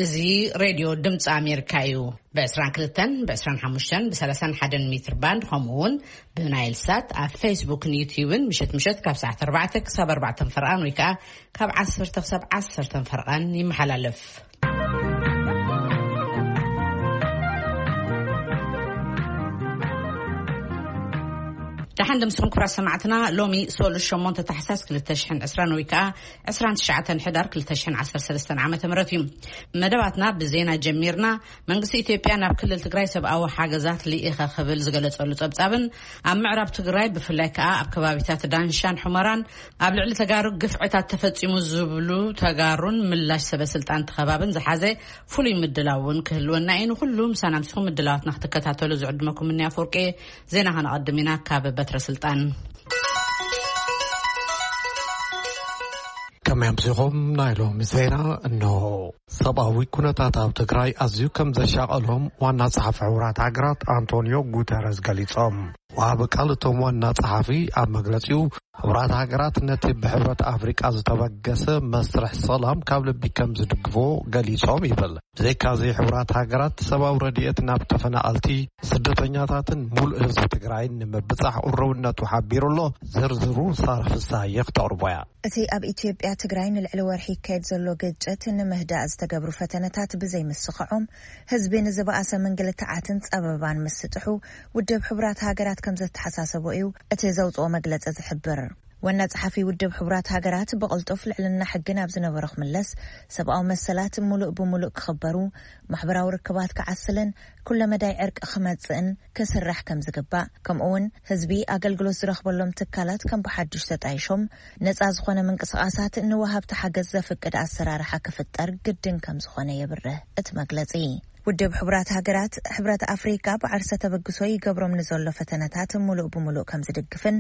እዚ ሬድዮ ድምፂ ኣሜሪካ እዩ። ብ22፣ ብ25፣ ብ31 ሜትር ባንድ፣ ከምኡ እውን ብናይል ሳት ኣብ ፌስቡክን ዩትዩብን ምሸት ምሸት ካብ ሰዓት ኣርባዕተ ክሳብ ኣርባዕተ ፈርቓን ወይ ከዓ ካብ ዓሰርተ ክሳብ ዓሰርተ ፈርቓን ይመሓላለፍ። ደሓን ደምስኹም ክቡራት ሰማዕትና። ሎሚ ሶሉስ ሸሞንተ ታሕሳስ ክልተ ሽሕን ዕስራን ወይ ከዓ ዕስራን ትሽዓተን ሕዳር ክልተ ሽሕን ዓሰርተ ሰለስተን ዓመተ ምህረት እዩ። መደባትና ብዜና ጀሚርና። መንግስቲ ኢትዮጵያ ናብ ክልል ትግራይ ሰብኣዊ ሓገዛት ልኢኸ ክብል ዝገለጸሉ ጸብጻብን ኣብ ምዕራብ ትግራይ ብፍላይ ከዓ ኣብ ከባቢታት ዳንሻን ሑመራን ኣብ ልዕሊ ተጋሩ ግፍዕታት ተፈጺሙ ዝብሉ ተጋሩን ምላሽ ሰበ ስልጣን ተኸባብን ዝሓዘ ፍሉይ ምድላው እውን ክህልወና እዩ። ንኩሉ ምሳና ምስኹም ምድላዋትና ክትከታተሉ ዝዕድመኩም እኒ ኣፈወርቂ። ዜና ከነቐድም ኢና ካብ በትረ ስልጣን። ከመይ ኣምሲኹም? ናይ ሎሚ ዜና እንሆ። ሰብኣዊ ኩነታት ኣብ ትግራይ ኣዝዩ ከም ዘሻቐሎም ዋና ጸሓፊ ሕቡራት ሃገራት ኣንቶኒዮ ጉተረዝ ገሊጾም። ወሃቢ ቃል እቶም ዋና ጸሓፊ ኣብ መግለጺኡ፣ ሕቡራት ሃገራት ነቲ ብሕብረት ኣፍሪቃ ዝተበገሰ መስርሕ ሰላም ካብ ልቢ ከም ዝድግፎ ገሊጾም ይብል። ብዘይካዚ፣ ሕቡራት ሃገራት ሰብኣዊ ረድኤት ናብ ተፈናቐልቲ፣ ስደተኛታትን ሙሉእ ህዝቢ ትግራይን ንምብጻሕ ቁርብነቱ ሓቢሩ ኣሎ። ዝርዝሩ ሳራ ፍሳሃየ ክተቕርቦ እያ። እቲ ኣብ ኢትዮጵያ ትግራይ ንልዕሊ ወርሒ ይካየድ ዘሎ ግጭት ንምህዳእ ዝተገብሩ ፈተነታት ብዘይምስኽዖም፣ ህዝቢ ንዝበኣሰ ምንግልታዓትን ጸበባን ምስጥሑ ውድብ ሕቡራት ሃገራት ከም ዘተሓሳሰቦ እዩ እቲ ዘውፅኦ መግለፂ ዝሕብር። ዋና ጸሓፊ ውድብ ሕቡራት ሃገራት ብቕልጡፍ ልዕልና ሕጊ ናብ ዝነበሮ ክምለስ፣ ሰብኣዊ መሰላት ሙሉእ ብሙሉእ ክኽበሩ፣ ማሕበራዊ ርክባት ክዓስልን ኩለመዳይ ዕርቂ ክመጽእን ክስራሕ ከም ዝግባእ፣ ከምኡ እውን ህዝቢ ኣገልግሎት ዝረኽበሎም ትካላት ከም ብሓዱሽ ተጣይሾም፣ ነጻ ዝኾነ ምንቅስቓሳት ንወሃብቲ ሓገዝ ዘፍቅድ ኣሰራርሓ ክፍጠር ግድን ከም ዝኾነ የብርህ እቲ መግለጺ። ውድብ ሕቡራት ሃገራት፣ ሕብረት ኣፍሪካ ብዓርሰ ተበግሶ ይገብሮም ንዘሎ ፈተነታት ሙሉእ ብሙሉእ ከም ዝድግፍን፣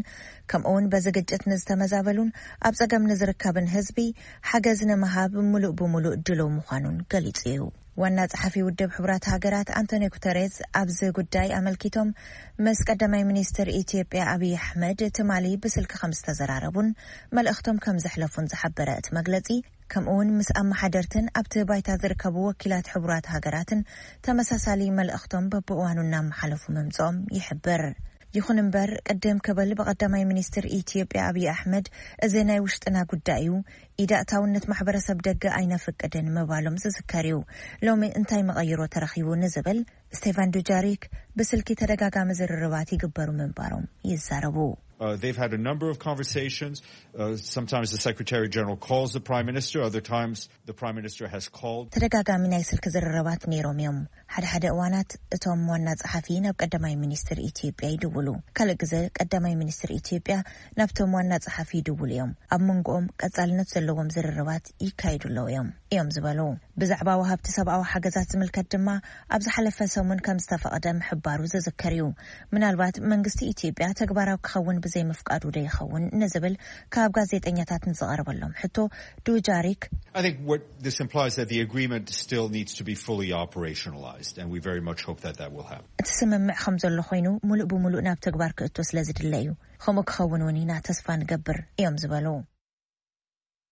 ከምኡ እውን በዚ ግጭት ንዝተመዛበሉን ኣብ ጸገም ንዝርከብን ህዝቢ ሓገዝ ንምሃብ ሙሉእ ብሙሉእ ድሉው ምዃኑን ገሊጹ እዩ። ዋና ጸሓፊ ውድብ ሕቡራት ሃገራት ኣንቶኒዮ ጉተሬዝ ኣብዚ ጉዳይ ኣመልኪቶም ምስ ቀዳማይ ሚኒስትር ኢትዮጵያ ኣብይ ኣሕመድ ትማሊ ብስልኪ ከም ዝተዘራረቡን መልእኽቶም ከም ዘሕለፉን ዝሓበረ እቲ መግለጺ፣ ከምኡ እውን ምስ ኣመሓደርትን ኣብቲ ባይታ ዝርከቡ ወኪላት ሕቡራት ሃገራትን ተመሳሳሊ መልእኽቶም በብእዋኑ እናመሓለፉ ምምጽኦም ይሕብር። ይኹን እምበር፣ ቅድም ክብል ብቐዳማይ ሚኒስትር ኢትዮጵያ ኣብይ ኣሕመድ እዚ ናይ ውሽጥና ጉዳይ እዩ፣ ኢድ ኣእታውነት ማሕበረሰብ ደገ ኣይነፍቅድን ምባሎም ዝዝከር እዩ። ሎሚ እንታይ መቐይሮ ተረኺቡ ንዝብል ስቴፋን ዱጃሪክ ብስልኪ ተደጋጋሚ ዝርርባት ይግበሩ ምንባሮም ይዛረቡ። Uh, they've had a number of conversations. Uh, sometimes the Secretary General calls the Prime Minister, other times the Prime Minister has called. ተደጋጋሚ ናይ ስልኪ ዝርርባት ነይሮም እዮም። ሓደ ሓደ እዋናት እቶም ዋና ጸሓፊ ናብ ቀዳማይ ሚኒስትር ኢትዮጵያ ይድውሉ። ካልእ ግዜ ቀዳማይ ሚኒስትር ኢትዮጵያ ናብቶም ዋና ጸሓፊ ይድውሉ እዮም። ኣብ መንጎኦም ቀጻልነት ዘለዎም ዝርርባት ይካየዱ ኣለዉ እዮም፣ እዮም ዝበሉ። ብዛዕባ ወሃብቲ ሰብኣዊ ሓገዛት ዝምልከት ድማ፣ ኣብ ዝሓለፈ ሰሙን ከም ዝተፈቐደ ምሕባሩ ዝዝከር እዩ። ምናልባት መንግስቲ ኢትዮጵያ ተግባራዊ ክኸውን ብዘይምፍቃዱ ዶ ይኸውን ንዝብል ካብ ጋዜጠኛታት ንዝቐረበሎም ሕቶ፣ ዱጃሪክ I think what this implies that the agreement still needs to be fully operationalized, and we very much hope that that will happen. እቲ ስምምዕ ከም ዘሎ ኮይኑ፣ ሙሉእ ብሙሉእ ናብ ተግባር ክእቶ ስለ ዝድለ እዩ። ከምኡ ክኸውን እውን ኢና ተስፋ ንገብር እዮም ዝበሉ።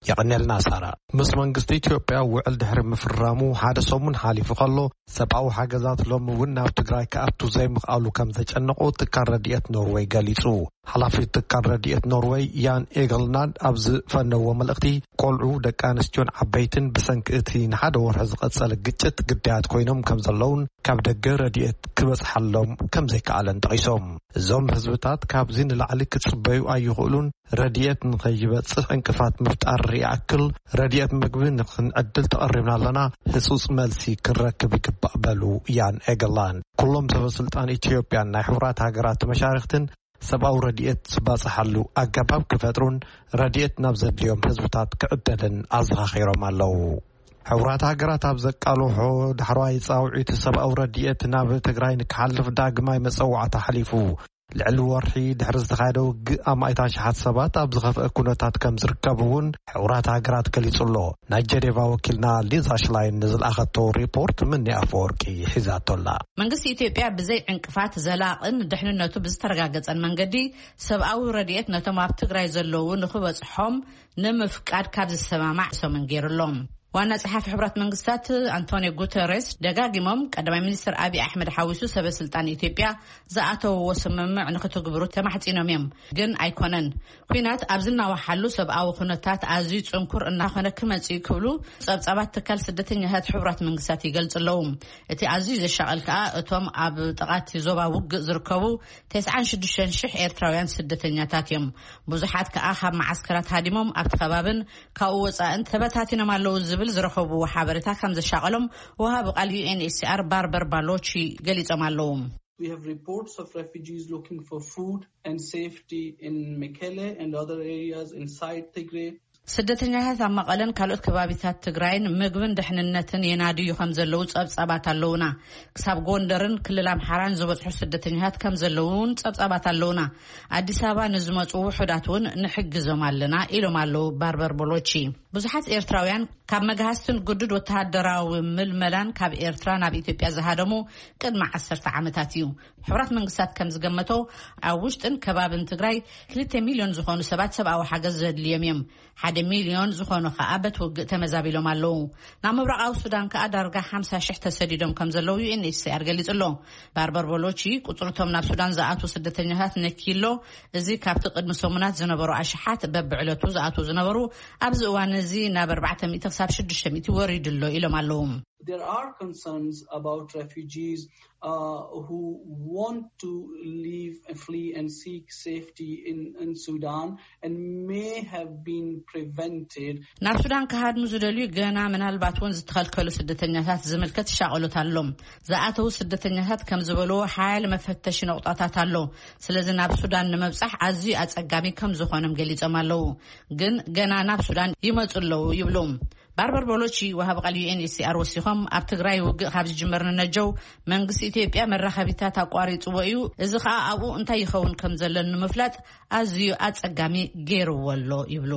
የቐንየልና ሳራ። ምስ መንግስቲ ኢትዮጵያ ውዕል ድሕሪ ምፍራሙ ሓደ ሰሙን ሓሊፉ ከሎ፣ ሰብኣዊ ሓገዛት ሎሚ እውን ናብ ትግራይ ክኣቱ ዘይምኽኣሉ ከም ዘጨነቆ ትካል ረድኤት ኖርወይ ገሊጹ። ሓላፊ ትካል ረድኤት ኖርወይ ያን ኤገልናድ ኣብ ዝፈነዎ መልእኽቲ፣ ቆልዑ፣ ደቂ ኣንስትዮን ዓበይትን ብሰንኪ እቲ ንሓደ ወርሒ ዝቐጸለ ግጭት ግዳያት ኮይኖም ከም ዘለውን ካብ ደገ ረድኤት ክበጽሓሎም ከም ዘይከኣለን ጠቒሶም። እዞም ህዝብታት ካብዚ ንላዕሊ ክጽበዩ ኣይኽእሉን፣ ረድኤት ንኸይበጽሕ ዕንቅፋት ምፍጣር ይኣክል፣ ረድኤት ምግቢ ንኽንዕድል ተቐሪብና ኣለና፣ ህጹጽ መልሲ ክንረክብ ይግባእ በሉ ያን ኤገላን። ኩሎም ሰበ ስልጣን ኢትዮጵያን ናይ ሕቡራት ሃገራት መሻርኽትን ሰብኣዊ ረድኤት ዝባጽሓሉ ኣገባብ ክፈጥሩን ረድኤት ናብ ዘድልዮም ህዝብታት ክዕደልን ኣዘኻኺሮም ኣለዉ። ሕቡራት ሃገራት ኣብ ዘቃልሖ ዳሕረዋይ ጻውዒት ሰብኣዊ ረድኤት ናብ ትግራይ ንክሓልፍ ዳግማይ መጸዋዕታ ሓሊፉ። ልዕሊ ወርሒ ድሕሪ ዝተኻየደ ውግእ ኣማኢት ኣሽሓት ሰባት ኣብ ዝኸፍአ ኩነታት ከም ዝርከቡ እውን ሕቡራት ሃገራት ገሊጹ ኣሎ። ናይ ጀኔቫ ወኪልና ሊዛ ሽላይን ንዝለኣኸቶ ሪፖርት ምኒ ኣፈወርቂ ሒዛቶ ኣላ። መንግስቲ ኢትዮጵያ ብዘይ ዕንቅፋት ዘላቕን ድሕንነቱ ብዝተረጋገጸን መንገዲ ሰብኣዊ ረድኤት ነቶም ኣብ ትግራይ ዘለዉ ንኽበጽሖም ንምፍቃድ ካብ ዝሰማማዕ ሰሙን ገይሩ ኣሎ። ዋና ጸሓፊ ሕቡራት መንግስታት ኣንቶኒዮ ጉተሬስ ደጋጊሞም ቀዳማይ ሚኒስትር ኣብይ ኣሕመድ ሓዊሱ ሰበ ስልጣን ኢትዮጵያ ዝኣተውዎ ስምምዕ ንክትግብሩ ተማሕጺኖም እዮም። ግን ኣይኮነን። ኲናት ኣብ ዝናዋሓሉ ሰብኣዊ ኩነታት ኣዝዩ ጽንኩር እናኾነ ክመጽእ እዩ ክብሉ ጸብጻባት ትካል ስደተኛታት ሕቡራት መንግስታት ይገልጹ ኣለዉ። እቲ ኣዝዩ ዘሻቐል ከኣ እቶም ኣብ ጥቓቲ ዞባ ውግእ ዝርከቡ ተስዓን ሽዱሽተን ሽሕ ኤርትራውያን ስደተኛታት እዮም። ብዙሓት ከኣ ካብ መዓስከራት ሃዲሞም ኣብቲ ከባብን ካብኡ ወጻእን ተበታቲኖም ኣለዉ ዝብል ዝረኸብዎ ሓበሬታ ከም ዘሻቐሎም ወሃቢ ቃል ዩ ኤን ኤች ሲ ኣር ባርበር ባሎቺ ገሊጾም ኣለዉ። We have reports of refugees looking for food and safety in Mekelle and other areas inside Tigray. ስደተኛታት ኣብ መቐለን ካልኦት ከባቢታት ትግራይን ምግብን ድሕንነትን የናድዩ ከም ዘለዉ ጸብጻባት ኣለዉና። ክሳብ ጎንደርን ክልል ኣምሓራን ዝበጽሑ ስደተኛታት ከም ዘለዉ እውን ጸብጻባት ኣለዉና። ኣዲስ ኣበባ ንዝመጹ ውሑዳት እውን ንሕግዞም ኣለና ኢሎም ኣለዉ ባርበር ቦሎቺ። ብዙሓት ኤርትራውያን ካብ መግሃስትን ግዱድ ወተሃደራዊ ምልመላን ካብ ኤርትራ ናብ ኢትዮጵያ ዝሃደሙ ቅድሚ ዓሰርተ ዓመታት እዩ። ሕቡራት መንግስታት ከም ዝገመቶ ኣብ ውሽጥን ከባብን ትግራይ ክልተ ሚልዮን ዝኾኑ ሰባት ሰብኣዊ ሓገዝ ዘድልዮም እዮም። ሓደ ሚልዮን ዝኾኑ ከኣ በቲ ውግእ ተመዛቢሎም ኣለዉ። ናብ ምብራቓዊ ሱዳን ከኣ ዳርጋ ሓምሳ ሽሕ ተሰዲዶም ከም ዘለዉ ዩ ኤን ኤች ሲ ኣር ገሊጹ ኣሎ። ባርበር ቦሎቺ ቁጽርቶም ናብ ሱዳን ዝኣትዉ ስደተኛታት ነኪሎ። እዚ ካብቲ ቅድሚ ሰሙናት ዝነበሩ ኣሽሓት በብዕለቱ ዝኣትዉ ዝነበሩ ኣብዚ እዋን እዚ ናብ ኣርባዕተ ሚእቲ ክሳብ ሽዱሽተ ሚእቲ ወሪዱ ኣሎ ኢሎም ኣለዉ። There are concerns about refugees uh, who want to leave and flee and seek safety in, in Sudan and may have been prevented. ናብ ሱዳን ክሃድሙ ዝደልዩ ገና ምናልባት እውን ዝተኸልከሉ ስደተኛታት ዝምልከት ሻቐሎት ኣሎ። ዝኣተዉ ስደተኛታት ከም ዝበልዎ ሓያል መፈተሺ ነቑጣታት ኣሎ። ስለዚ ናብ ሱዳን ንምብጻሕ ኣዝዩ ኣጸጋሚ ከም ዝኾኖም ገሊጾም ኣለዉ። ግን ገና ናብ ሱዳን ይመጹ ኣለዉ ይብሉ። ባርበር ቦሎቺ ወሃቢ ቃል ዩ ኤን ኤች ሲ ኣር ወሲኾም ኣብ ትግራይ ውግእ ካብ ዝጅመር ንነጀው መንግስቲ ኢትዮጵያ መራኸቢታት ኣቋሪጽዎ እዩ። እዚ ኸኣ ኣብኡ እንታይ ይኸውን ከም ዘሎ ንምፍላጥ ኣዝዩ ኣጸጋሚ ገይርዎ ኣሎ ይብሉ።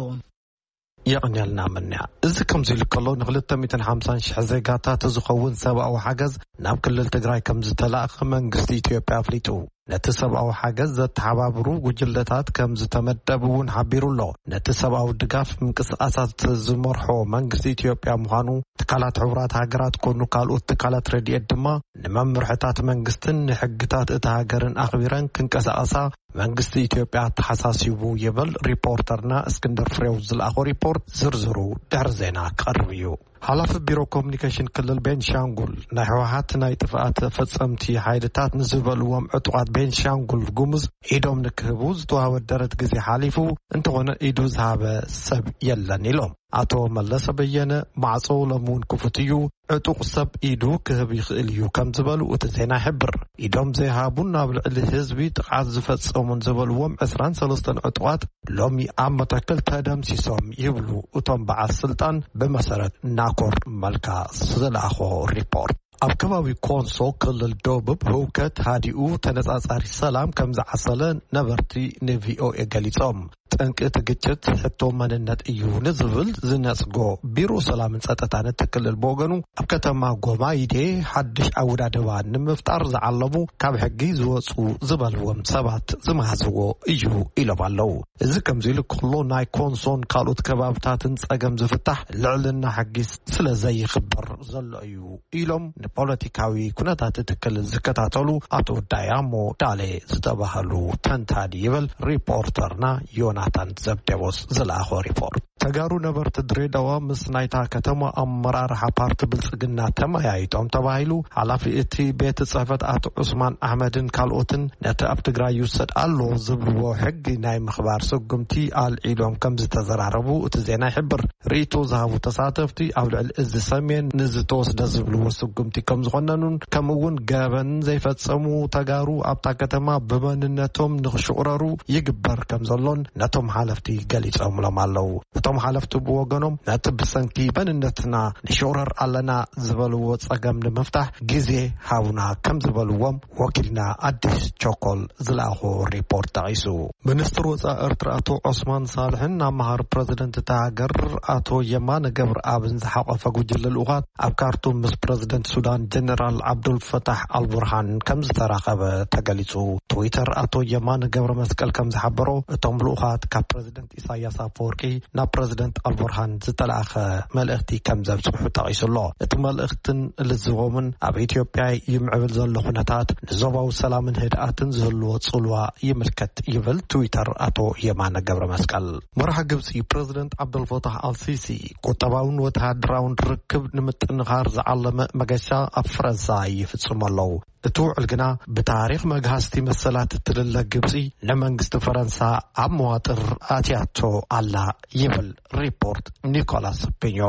የቐንየልና ምንያ። እዚ ከምዚ ኢሉ ከሎ ንክልተ ሚእትን ሓምሳን ሽሕ ዜጋታት ዝኸውን ሰብኣዊ ሓገዝ ናብ ክልል ትግራይ ከም ዝተላእኸ መንግስቲ ኢትዮጵያ ኣፍሊጡ። ነቲ ሰብኣዊ ሓገዝ ዘተሓባብሩ ጉጅለታት ከም ዝተመደቡ እውን ሓቢሩ ኣሎ። ነቲ ሰብኣዊ ድጋፍ ምንቅስቃሳት ዝመርሖ መንግስቲ ኢትዮጵያ ምዃኑ ትካላት ሕቡራት ሃገራት ኮኑ ካልኦት ትካላት ረድኤት ድማ ንመምርሕታት መንግስትን ንሕግታት እታ ሃገርን ኣኽቢረን ክንቀሳቐሳ መንግስቲ ኢትዮጵያ ኣተሓሳሲቡ ይብል ሪፖርተርና እስክንድር ፍሬው ዝለኣኾ ሪፖርት። ዝርዝሩ ድሕሪ ዜና ክቐርብ እዩ። ሓላፊ ቢሮ ኮሙኒኬሽን ክልል ቤንሻንጉል ናይ ህወሓት ናይ ጥፍኣት ፈጸምቲ ሓይልታት ንዝበልዎም ዕጡቓት ቤንሻንጉል ጉሙዝ ኢዶም ንክህቡ ዝተዋህበ ደረት ግዜ ሓሊፉ እንተኾነ ኢዱ ዝሃበ ሰብ የለን ኢሎም። ኣቶ መለሰ በየነ ማዕጾ ሎሚ እውን ክፉት እዩ፣ ዕጡቕ ሰብ ኢዱ ክህብ ይኽእል እዩ ከም ዝበሉ እቲ ዜና ይሕብር። ኢዶም ዘይሃቡን ኣብ ልዕሊ ህዝቢ ጥቕዓት ዝፈጸሙን ዝበልዎም ዕስራን ሰለስተን ዕጡቓት ሎሚ ኣብ መተከል ተደምሲሶም ይብሉ እቶም በዓል ስልጣን ብመሰረት ናኮር መልካ ዝለኣኾ ሪፖርት። ኣብ ከባቢ ኮንሶ ክልል ደቡብ ህውከት ሃዲኡ ተነጻጻሪ ሰላም ከም ዝዓሰለ ነበርቲ ንቪኦኤ ገሊጾም። ጠንቂ እቲ ግጭት ሕቶ መንነት እዩ ንዝብል ዝነጽጎ ቢሮ ሰላምን ጸጥታን እቲ ክልል ብወገኑ ኣብ ከተማ ጎማይዴ ሓድሽ ኣወዳድባ ንምፍጣር ዝዓለሙ ካብ ሕጊ ዝወጹ ዝበልዎም ሰባት ዝመሃዝዎ እዩ ኢሎም ኣለዉ። እዚ ከምዚ ኢሉ ከሎ ናይ ኮንሶን ካልኦት ከባብታትን ጸገም ዝፍታሕ ልዕልና ሕጊ ስለ ዘይኽበር ዘሎ እዩ ኢሎም ንፖለቲካዊ ኩነታት እቲ ክልል ዝከታተሉ ኣቶ ዳያሞ ዳሌ ዝተባህሉ ተንታኒ ይብል ሪፖርተርና ዮናታን ዘብዴዎስ ዝለኣኾ ሪፖርት። ተጋሩ ነበርቲ ድሬዳዋ ምስ ናይታ ከተማ ኣመራርሓ ፓርቲ ብልጽግና ተመያይጦም ተባሂሉ። ሓላፊ እቲ ቤት ጽሕፈት ኣቶ ዑስማን ኣሕመድን ካልኦትን ነቲ ኣብ ትግራይ ይውሰድ ኣሎ ዝብልዎ ሕጊ ናይ ምኽባር ስጉምቲ ኣልዒሎም ከም ዝተዘራረቡ እቲ ዜና ይሕብር። ርእይቶ ዝሃቡ ተሳተፍቲ ኣብ ልዕሊ እዚ ሰሜን ንዝተወስደ ዝብልዎ ስጉምቲ ከም ዝኾነኑን ከምኡ እውን ገበን ዘይፈጸሙ ተጋሩ ኣብታ ከተማ ብመንነቶም ንኽሽቑረሩ ይግበር ከም ዘሎን ነቶም ሓለፍቲ ገሊጾምሎም ኣለዉ። እቶም ሓለፍቲ ብወገኖም ነቲ ብሰንኪ መንነትና ንሽቑረር ኣለና ዝበልዎ ጸገም ንምፍታሕ ግዜ ሃቡና ከም ዝበልዎም ወኪልና ኣዲስ ቸኮል ዝለኣኾ ሪፖርት ጠቒሱ። ሚኒስትር ወጻኢ ኤርትራ ኣቶ ዑስማን ሳልሕን ኣመሃሪ ፕረዚደንት እታ ሃገር ኣቶ የማነ ገብረኣብን ዝሓቖፈ ጉጅለ ልኡኻት ኣብ ካርቱም ምስ ፕረዚደንት ሱዳን ጀነራል ዓብዱል ፈታሕ ኣልቡርሃን ከም ዝተራኸበ ተገሊጹ። ትዊተር ኣቶ የማነ ገብረ መስቀል ከም ዝሓበሮ እቶም ልኡኻት ካብ ፕረዚደንት ኢሳያስ ኣፈወርቂ ናብ ፕረዚደንት ኣልቡርሃን ዝተላእኸ መልእኽቲ ከም ዘብጽሑ ጠቒሱ ኣሎ። እቲ መልእኽትን ልዝቦምን ኣብ ኢትዮጵያ ይምዕብል ዘሎ ኩነታት ንዞባዊ ሰላምን ህድኣትን ዝህልዎ ጽልዋ ይምልከት ይብል ትዊተር ኣቶ የማነ ገብረ መስቀል። መራሒ ግብጺ ፕረዚደንት ዓብደልፈታሕ ኣልሲሲ ቁጠባውን ወተሃደራውን ርክብ ንምጥንኻር ዝዓለመ መገሻ ኣብ ፈረንሳ ይፍጽሙ ኣለዉ። እቲ ውዕል ግና ብታሪኽ መግሃስቲ መሰላት እትልለ ግብጺ ንመንግስቲ ፈረንሳ ኣብ መዋጥር ኣትያቶ ኣላ ይብል ሪፖርት ኒኮላስ ፒኞ።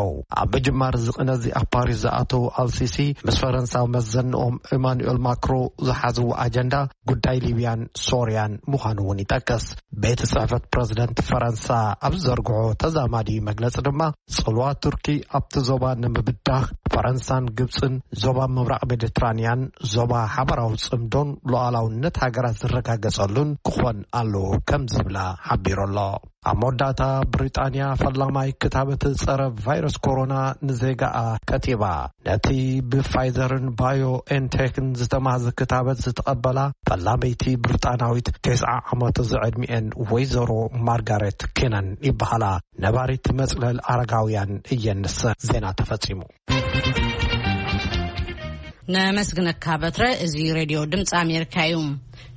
ኣብ ምጅማር እዚ ቅነ እዚ ኣብ ፓሪስ ዝኣተዉ ኣልሲሲ ምስ ፈረንሳዊ መዘንኦም ኢማኑኤል ማክሮ ዝሓዝዎ ኣጀንዳ ጉዳይ ሊብያን ሶርያን ምዃኑ እውን ይጠቅስ። ቤት ጽሕፈት ፕረዚደንት ፈረንሳ ኣብ ዝዘርግሖ ተዛማዲ መግለጺ ድማ ጽልዋ ቱርኪ ኣብቲ ዞባ ንምብዳህ ፈረንሳን ግብጽን ዞባ ምብራቕ ሜዲትራንያን ዞባ ሓበራዊ ጽምዶን ሉዓላውነት ሃገራት ዝረጋገጸሉን ክኾን ኣለዎ ከም ዝብላ ሓቢሩ ኣሎ። ኣብ መወዳእታ ብሪጣንያ ፈላማይ ክታበት ጸረ ቫይረስ ኮሮና ንዜጋኣ ከቲባ። ነቲ ብፋይዘርን ባዮ ኤንቴክን ዝተማህዘ ክታበት ዝተቐበላ ፈላመይቲ ብሪጣናዊት ተስዓ ዓመት ዝዕድሚኤን ወይዘሮ ማርጋሬት ኬነን ይበሃላ። ነባሪት መጽለል ኣረጋውያን እየን። ንሰ ዜና ተፈጺሙ። ነመስግነካ በትረ። እዚ ሬድዮ ድምፂ ኣሜሪካ እዩ።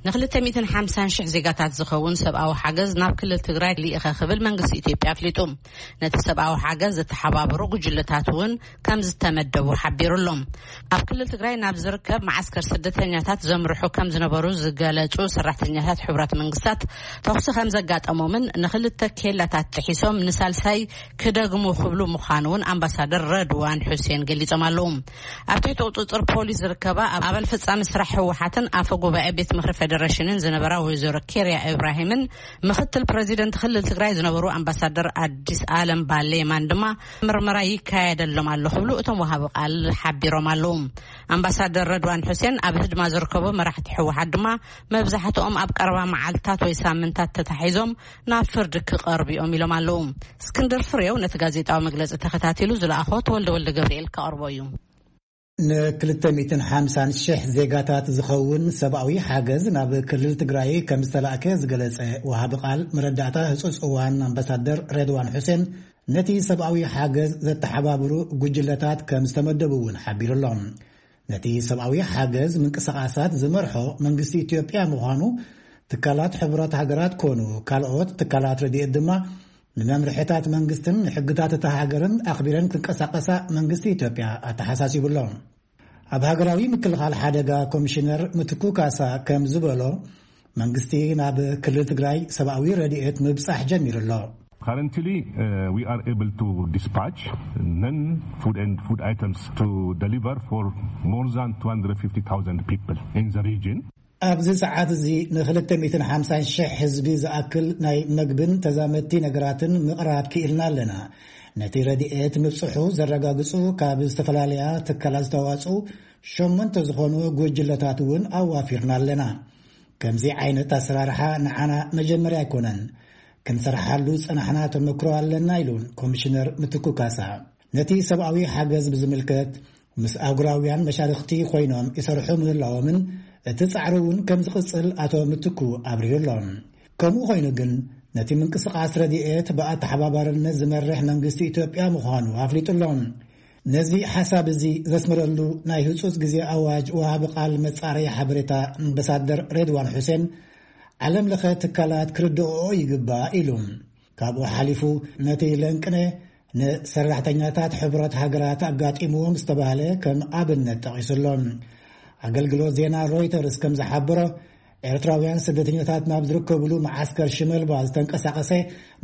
ንክልተ ሚእትን ሓምሳን ሽሕ ዜጋታት ዝኸውን ሰብኣዊ ሓገዝ ናብ ክልል ትግራይ ልኢኸ ክብል መንግስቲ ኢትዮጵያ ኣፍሊጡ። ነቲ ሰብኣዊ ሓገዝ ዝተሓባበሩ ጉጅለታት እውን ከም ዝተመደቡ ሓቢሩ ኣሎ። ኣብ ክልል ትግራይ ናብ ዝርከብ መዓስከር ስደተኛታት ዘምርሑ ከም ዝነበሩ ዝገለጹ ሰራሕተኛታት ሕቡራት መንግስታት ተኹሲ ከም ዘጋጠሞምን ንክልተ ኬላታት ጥሒሶም ንሳልሳይ ክደግሙ ክብሉ ምዃኑ እውን ኣምባሳደር ረድዋን ሑሴን ገሊጾም ኣለዉ። ኣብ ትሕቲ ቁጽጽር ፖሊስ ዝርከባ ኣብ ኣባል ፈጻሚ ስራሕ ህወሓትን ኣፈ ጉባኤ ቤት ምኽሪ ፌደሬሽንን ዝነበራ ወይዘሮ ኬርያ ኢብራሂምን ምኽትል ፕረዚደንት ክልል ትግራይ ዝነበሩ ኣምባሳደር ኣዲስ ኣለም ባሌማን ድማ ምርመራ ይካየደሎም ኣሎ ክብሉ እቶም ወሃቢ ቃል ሓቢሮም ኣለዉ። ኣምባሳደር ረድዋን ሑሴን ኣብ ህድማ ዝርከቡ መራሕቲ ህወሓት ድማ መብዛሕትኦም ኣብ ቀረባ መዓልታት ወይ ሳምንታት ተታሒዞም ናብ ፍርዲ ክቐርቡ እዮም ኢሎም ኣለዉ። እስክንድር ፍሬው ነቲ ጋዜጣዊ መግለጺ ተኸታቲሉ ዝለኣኾ ተወልደ ወልደ ገብርኤል ከቕርቦ እዩ። ንክልተ ሚእትን ሓምሳን ሽሕ ዜጋታት ዝኸውን ሰብኣዊ ሓገዝ ናብ ክልል ትግራይ ከም ዝተላእከ ዝገለጸ ወሃቢ ቃል መረዳእታ ህጹጽ እዋን ኣምባሳደር ሬድዋን ሑሴን ነቲ ሰብኣዊ ሓገዝ ዘተሓባብሩ ጉጅለታት ከም ዝተመደቡ እውን ሓቢሩ ኣሎ። ነቲ ሰብኣዊ ሓገዝ ምንቅስቓሳት ዝመርሖ መንግስቲ ኢትዮጵያ ምዃኑ ትካላት ሕቡራት ሃገራት ኮኑ ካልኦት ትካላት ረድኤት ድማ ንመምርሕታት መንግስትን ንሕግታት እታ ሃገርን ኣኽቢረን ክንቀሳቐሳ መንግስቲ ኢትዮጵያ ኣተሓሳሲቡ ኣሎ። ኣብ ሃገራዊ ምክልኻል ሓደጋ ኮሚሽነር ምትኩ ካሳ ከም ዝበሎ መንግስቲ ናብ ክልል ትግራይ ሰብኣዊ ረድኤት ምብጻሕ ጀሚሩ ኣሎ። Currently, uh, we are able to dispatch non-food and food items to deliver for more than two hundred fifty thousand people in the region. ኣብዚ ሰዓት እዚ ንክልተ ሚእትን ሓምሳን ሽሕ ህዝቢ ዝኣክል ናይ መግብን ተዛመድቲ ነገራትን ምቕራብ ክኢልና ኣለና። ነቲ ረድኤት ምብጽሑ ዘረጋግጹ ካብ ዝተፈላለያ ትካላት ዝተዋጽኡ ሸሞንተ ዝኾኑ ጉጅለታት እውን ኣዋፊርና ኣለና። ከምዚ ዓይነት ኣሰራርሓ ንዓና መጀመርያ ኣይኮነን። ክንሰርሓሉ ዝጸናሕና ተመክሮ ኣለና ኢሉ ኮሚሽነር ምትኩ ካሳ። ነቲ ሰብኣዊ ሓገዝ ብዝምልከት ምስ ኣህጉራውያን መሻርኽቲ ኮይኖም ይሰርሑ ምህላዎምን እቲ ጻዕሪ እውን ከም ዝቕጽል ኣቶ ምትኩ ኣብሪሁ ኣሎ። ከምኡ ኮይኑ ግን ነቲ ምንቅስቓስ ረድኤት ብኣተሓባባርነት ዝመርሕ መንግስቲ ኢትዮጵያ ምዃኑ ኣፍሊጡ ኣሎ። ነዚ ሓሳብ እዚ ዘስመረሉ ናይ ህጹጽ ግዜ ኣዋጅ ወሃቢ ቃል መጻረዪ ሓበሬታ ኣምባሳደር ሬድዋን ሑሴን ዓለም ለኸ ትካላት ክርድኦ ይግባእ ኢሉ። ካብኡ ሓሊፉ ነቲ ለንቅነ ንሰራሕተኛታት ሕቡራት ሃገራት ኣጋጢምዎም ዝተባህለ ከም ኣብነት ጠቒሱ ኣሎ። ኣገልግሎት ዜና ሮይተርስ ከም ዝሓበሮ ኤርትራውያን ስደተኛታት ናብ ዝርከብሉ መዓስከር ሽመልባ ዝተንቀሳቐሰ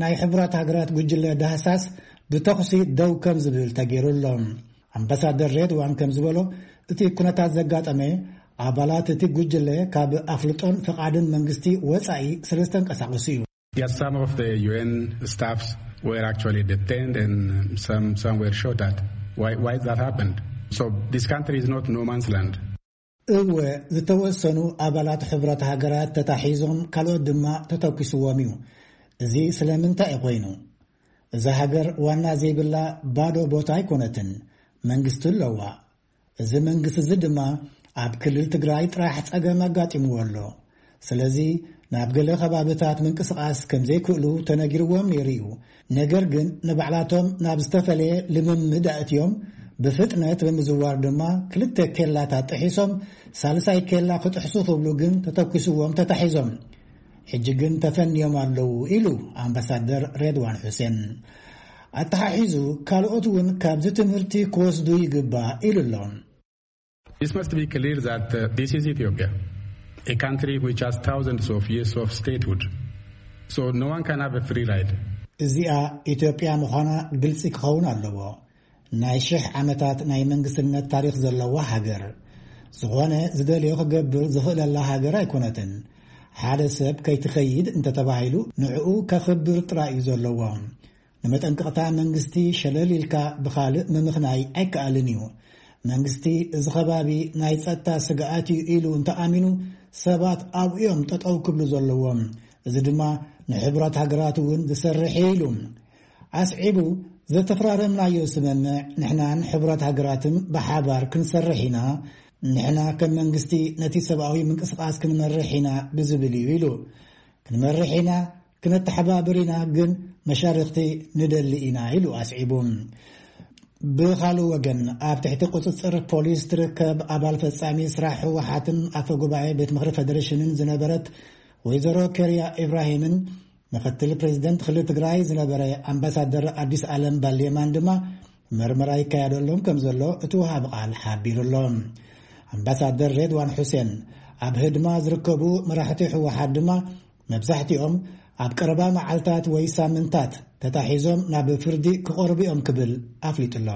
ናይ ሕቡራት ሃገራት ጉጅለ ዳህሳስ ብተኹሲ ደው ከም ዝብል ተገይሩ ኣሎ። ኣምባሳደር ሬድዋን ከም ዝበሎ እቲ ኩነታት ዘጋጠመ ኣባላት እቲ ጉጅለ ካብ ኣፍልጦን ፍቓድን መንግስቲ ወጻኢ ስለ ዝተንቀሳቐሱ እዩ። Yes, some of the U N staffs were actually detained and some, some were shot at. Why, why that happened? So this country is not no man's land. እወ፣ ዝተወሰኑ ኣባላት ሕብረት ሃገራት ተታሒዞም ካልኦት ድማ ተተኪስዎም እዩ። እዚ ስለምንታይ እዩ ኮይኑ? እዛ ሃገር ዋና ዘይብላ ባዶ ቦታ ኣይኮነትን። መንግስቲ ኣለዋ። እዚ መንግስቲ እዚ ድማ ኣብ ክልል ትግራይ ጥራሕ ጸገም ኣጋጢምዎ ኣሎ። ስለዚ ናብ ገለ ከባብታት ምንቅስቓስ ከም ዘይክእሉ ተነጊርዎም ነይሩ እዩ። ነገር ግን ንባዕላቶም ናብ ዝተፈለየ ልምምድ ኣእትዮም ብፍጥነት ብምዝዋር ድማ ክልተ ኬላታት ጥሒሶም ሳልሳይ ኬላ ክጥሕሱ ክብሉ ግን ተተኩስዎም ተታሒዞም። ሕጂ ግን ተፈንዮም ኣለዉ ኢሉ ኣምባሳደር ሬድዋን ሑሴን። ኣተሓሒዙ ካልኦት እውን ካብዚ ትምህርቲ ክወስዱ ይግባእ ኢሉ ኣሎ። This must be clear that uh, this is Ethiopia, a country which has thousands of years of statehood. So no one can have a free ride. እዚኣ ኢትዮጵያ ምዃና ግልፂ ክኸውን ኣለዎ። ናይ ሽሕ ዓመታት ናይ መንግስትነት ታሪኽ ዘለዋ ሃገር። ዝኾነ ዝደልዮ ክገብር ዝኽእለላ ሃገር ኣይኮነትን። ሓደ ሰብ ከይትኸይድ እንተተባሂሉ ንዕኡ ከኽብር ጥራይ እዩ ዘለዎ። ንመጠንቀቕታ መንግስቲ ሸለል ኢልካ ብኻልእ ምምኽናይ ኣይከኣልን እዩ። መንግስቲ እዚ ከባቢ ናይ ጸጥታ ስግኣት እዩ ኢሉ እንተኣሚኑ ሰባት ኣብኡ እዮም ጠጠው ክብሉ ዘለዎም። እዚ ድማ ንሕቡራት ሃገራት እውን ዝሰርሕ እዩ ኢሉ። ኣስዒቡ፣ ዘተፈራረምናዮ ስምምዕ ንሕናን ሕቡራት ሃገራትን ብሓባር ክንሰርሕ ኢና። ንሕና ከም መንግስቲ ነቲ ሰብኣዊ ምንቅስቓስ ክንመርሕ ኢና ብዝብል እዩ ኢሉ። ክንመርሕ ኢና፣ ክነተሓባብር ኢና፣ ግን መሻርኽቲ ንደሊ ኢና ኢሉ ኣስዒቡ። ብኻልእ ወገን ኣብ ትሕቲ ቁፅፅር ፖሊስ ትርከብ ኣባል ፈፃሚ ስራሕ ህወሓትን ኣፈ ጉባኤ ቤት ምኽሪ ፌደሬሽንን ዝነበረት ወይዘሮ ኬርያ ኢብራሂምን ምኽትል ፕሬዚደንት ክልል ትግራይ ዝነበረ ኣምባሳደር ኣዲስ ኣለም ባሌማን ድማ መርመራ ይካየደሎም ከም ዘሎ እቲ ወሃቢ ቃል ሓቢሩ ኣሎ። ኣምባሳደር ሬድዋን ሑሴን ኣብ ህድማ ዝርከቡ መራሕቲ ህወሓት ድማ መብዛሕትኦም ኣብ ቀረባ መዓልታት ወይ ሳምንታት ተታሒዞም ናብ ፍርዲ ክቐርቡ እዮም ክብል ኣፍሊጡ ኣሎ።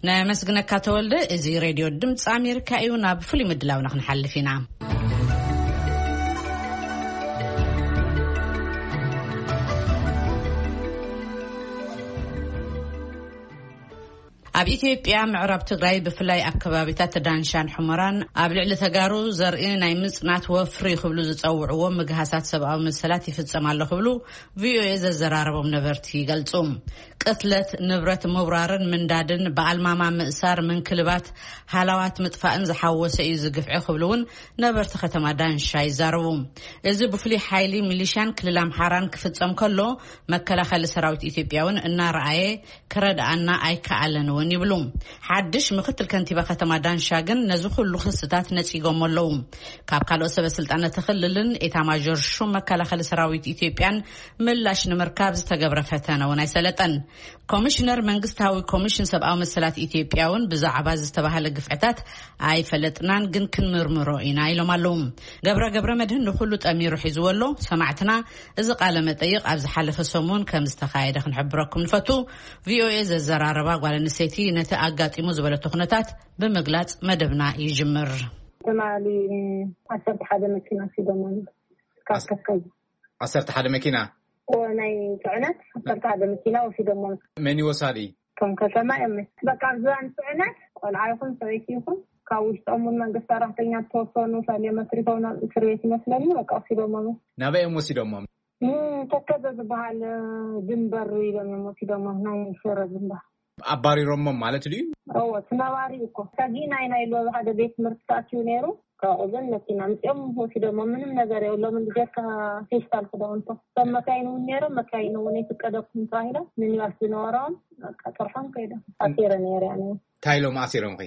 ነመስግነካ ተወልደ። እዚ ሬድዮ ድምፂ ኣሜሪካ እዩ። ናብ ፍሉይ ምድላውና ክንሓልፍ ኢና። ኣብ ኢትዮጵያ ምዕራብ ትግራይ ብፍላይ ኣብ ከባቢታት ዳንሻን ሑመራን ኣብ ልዕሊ ተጋሩ ዘርኢ ናይ ምጽናት ወፍሪ ክብሉ ዝጸውዕዎ ምግሃሳት ሰብኣዊ መሰላት ይፍጸም ኣሎ ክብሉ ቪኦኤ ዘዘራረቦም ነበርቲ ይገልጹ። ቅትለት፣ ንብረት ምውራርን ምንዳድን፣ ብኣልማማ ምእሳር፣ ምንክልባት፣ ሃላዋት ምጥፋእን ዝሓወሰ እዩ ዝግፍዒ ክብሉ እውን ነበርቲ ከተማ ዳንሻ ይዛረቡ። እዚ ብፍሉይ ሓይሊ ሚሊሻን ክልል ኣምሓራን ክፍጸም ከሎ መከላኸሊ ሰራዊት ኢትዮጵያ እውን እናረኣየ ክረድኣና ኣይከኣለን እውን ይብሉ። ሓድሽ ምክትል ከንቲባ ከተማ ዳንሻ ግን ነዚ ኩሉ ክስታት ነጺጎም ኣለዉ። ካብ ካልኦት ሰበ ስልጣን እቲ ክልልን ኤታማዦር ሹም መከላኸሊ ሰራዊት ኢትዮጵያን ምላሽ ንምርካብ ዝተገብረ ፈተነ እውን ኣይሰለጠን። ኮሚሽነር መንግስታዊ ኮሚሽን ሰብኣዊ መሰላት ኢትዮጵያ እውን ብዛዕባ ዝተባህለ ግፍዕታት ኣይፈለጥናን፣ ግን ክንምርምሮ ኢና ኢሎም ኣለዉ። ገብረ ገብረ መድህን ንኩሉ ጠሚሩ ሒዝዎ ኣሎ። ሰማዕትና እዚ ቃለ መጠይቕ ኣብ ዝሓለፈ ሰሙን ከም ዝተኻየደ ክንሕብረኩም ንፈቱ። ቪኦኤ ዘዘራረባ ጓል ኣንስተይቲ ነቲ ኣጋጢሙ ዝበለቶ ኩነታት ብምግላጽ መደብና ይጅምር። ትማሊ ዓሰርተ ሓደ መኪና ሒዞም ማለት ካብ ዓሰርተ ሓደ መኪና? እዎ፣ ናይ ጽዕነት ዓሰርተ ሓደ መኪና ወሲዶሞ። መን እዩ ወሳዲ? እቶም ከተማ እዮም። በቃ ኣብ ዝባን ጽዕነት ቆልዓ ይኹን ሰበይቲ ይኹን ካብ ውሽጦም እውን መንግስቲ ሰራሕተኛ ዝተወሰኑ ሰልዮም ኣትሪፎም ናብ እስር ቤት ይመስለኒ በቃ ወሲዶሞም። ናበይ እዮም ወሲዶሞም? ተከዘ ዝበሃል ድንበር ኢሎም እዮም ወሲዶሞም፣ ናይ ሽረ ድንበር። ኣባሪሮሞም ማለት ድዩ? እዎ፣ እቲ ነባሪ እኮ ሰጊእና ኢና ኢሉ ኣብ ሓደ ቤት ትምህርቲ ተኣትዩ ነይሩ። ካብኡ ግን መኪና ምፅኦም ወሲዶሞ፣ ምንም ነገር የብሎምን። ብጀካ ፌስታል ክዳውንቶ ሰብ መካይን እውን ነይሮም፣ መካይን እውን ኣይፍቀደኩም ተባሂሎም፣ ሚኒባስ ዝነበሮም በቃ ጥርሖም ከይዶም። ኣሲረ ነይረ ኣነ። እንታይ ኢሎም ኣሲሮምኺ?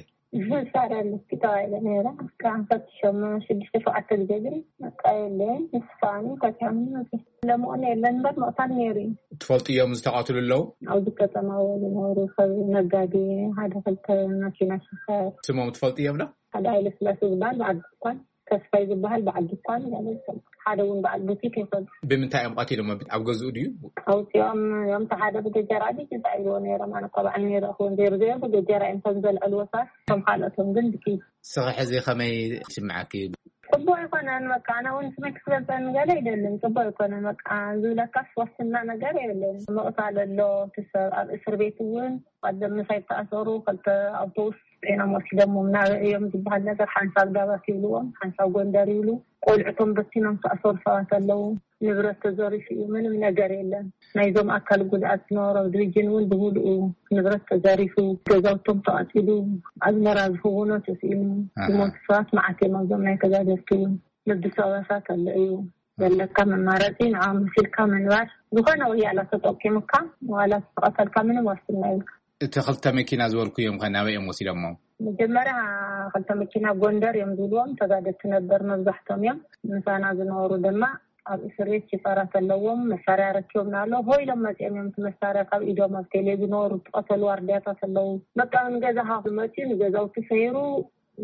ሳራ ኣለኪ ተባሂለ ነይረ። በቃ ፈትሾም ሽዱሽተ ሸውዓተ ግዜ ግን በቃ የለን። ንስኻኒ ፈትሖም ለምኦን የለን እምበር ምቕታል ነይሩ እዩ። ትፈልጥዮም ዝተቐትሉ ኣለዉ? ኣብዚ ከተማ ዝነበሩ ሰብ ነጋዴ ሓደ ክልተ ማኪና ሽፈር። ስሞም ትፈልጥዮም ዶ? ሓደ ሃይለ ስላሴ ዝበሃል በዓል ድኳን፣ ተስፋይ ዝበሃል በዓል ድኳን ማለት እዩ። ሓደ እውን በዓል ቡቲክ ይኾን። ብምንታይ እዮም ቀቲሎሞ? ኣብ ገዝኡ ድዩ? ኣውፂኦም እዮም። እቲ ሓደ ብገጀራ ድዩ እንታይ ኢልዎ ነይሮም? ኣነ እኮ በዓል ነይረ ክውን ዘይሩ ዘይሩ ብገጀራ እዮም ከም ዘልዕልዎ ሰባት። ከም ካልኦቶም ግን ብኪ። ስኺ ሕዚ ከመይ ይስምዓኪ? ጽቡቕ ኣይኮነን። በቃ ኣነ እውን ስመይ ክስበልፀኒ ገለ ኣይደልን። ጽቡቕ ኣይኮነን። በቃ ዝብለካስ ዋስትና ነገር የብለይን። ምቕታል ኣሎ። እቲ ሰብ ኣብ እስር ቤት እውን ቀደም ምሳይ ተኣሰሩ ክልተ ኣውቶቡስ ጤና ወሲዶሞም ናበይ እዮም ዝበሃል ነገር ሓንሳብ ዳባት ይብልዎም፣ ሓንሳብ ጎንደር ይብሉ። ቆልዕቶም በቲኖም ተኣሰሩ ሰባት ኣለዉ። ንብረት ተዘሪፉ እዩ። ምንም ነገር የለን። ናይዞም ኣካል ጉድኣት ዝነበሮም ድርጅን እውን ብምሉኡ ንብረት ተዘሪፉ፣ ገዛውቶም ተቓፂሉ፣ ኣዝመራ ዝኽውኖ ተስኢኑ፣ ዝሞቱ ሰባት መዓት እዮም። ኣብዞም ናይ ተጋደልቲ እውን ንብሰባሳት ኣሎ እዩ። ዘለካ መማረፂ ንዓ መሲልካ ምንባር፣ ዝኾነ ወያላ ተጠቂሙካ ዋላ ዝተቐተልካ ምንም ዋስትና የብልካ። እቲ ክልተ መኪና ዝበልኩ እዮም ከ ናበይ እዮም ወሲዶሞ? መጀመርያ ክልተ መኪና ጎንደር እዮም ዝብልዎም፣ ተጋደልቲ ነበር መብዛሕቶም እዮም። ምሳና ዝነበሩ ድማ ኣብ እስር ቤት ሽፈራት ኣለዎም። መሳርያ ረኪቦም ኣሎ ሆ ኢሎም መፂኦም እዮም። እቲ መሳርያ ካብ ኢዶም ኣብ ቴሌ ዝነበሩ ዝቐተሉ ዋርድያታት ኣለዉ። በቃ ንገዛኻ ክመፅኡ ንገዛውቲ ሰይሩ